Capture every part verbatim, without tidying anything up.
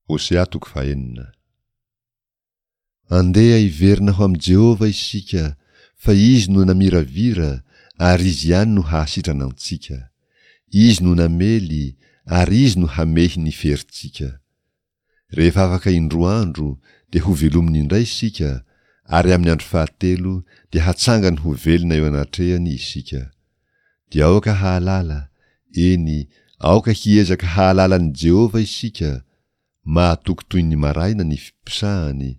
Hosea toko fahenina. Andeha hiverina ho amin'i Jehovah isika, fa Izy no namiravira, ary Izy ihany no hahasitrana antsika. Izy no namely, ary Izy no hamehy ny ferintsika. Rehefa afaka indroa andro, dia hovelominy indray isika, ary amin'ny andro fahatelo dia hatsangany ho velona eo anatrehany isika. Dia aoka hahalala, eny, aoka hiezaka hahalala an'i Jehovah isika, mahatoky toy ny maraina ny fiposahany,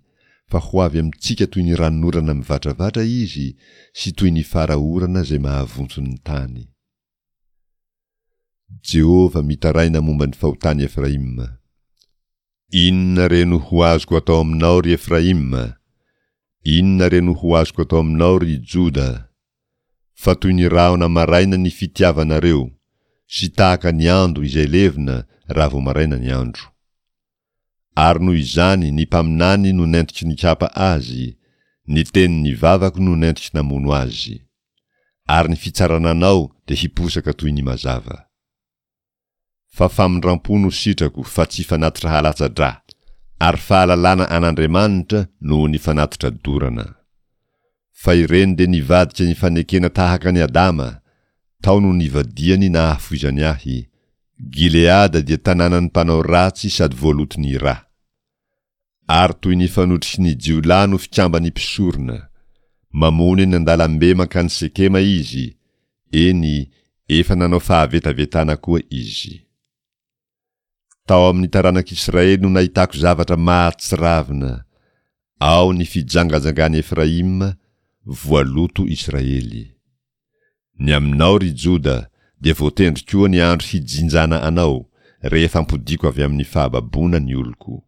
fa ho avy amintsika toy ny ranonorana mivatravatra izy sy toy ny fara orana izay mahavonto ny tany. Jehovah mitaraina momba ny fahotan'i Efraima. Inona re no ho azoko atao aminao, ry Efraima? Inona re no ho azoko atao aminao, ry Joda? Fa toy ny rahona maraina ny fitiavanareo, sy tahaka ny ando izay levona raha vao maraina ny andro. Ary noho izany ny mpaminany no nentiko nikapa azy, ny tenin'ny vavako no nentiko namono azy. Ary ny fitsarana anao dia hiposaka toy ny mazava. Fa famindram-po no sitrako fa tsy fanatitra halatsa-drà, ary fahalalana an'Andriamanitra noho ny fanatitra dorana. Fa ireny dia nivadika ny fanekena tahaka an'i Adama, tao no nivadihany nahafoizany ahy. Gileada dia tanànan'ny mpanao ratsy sady voaloton'ny rà. Ary toy ny fanotriky ny jiolahy no fikamban'ny mpisorona. Mamono eny an-dalambe mankany Sekema izy, eny, efa nanao fahavetavetana koa izy. Tao amin'ny taranak'Israely no nahitako zavatra mahatsiravina, ao ny fijangajangan'i Efraima, voaloto Israely. Ny aminao, ry Joda, dia voatendry koa ny andro hijinjana anao, rehefa ampodiako avy amin'ny fahababoana ny oloko.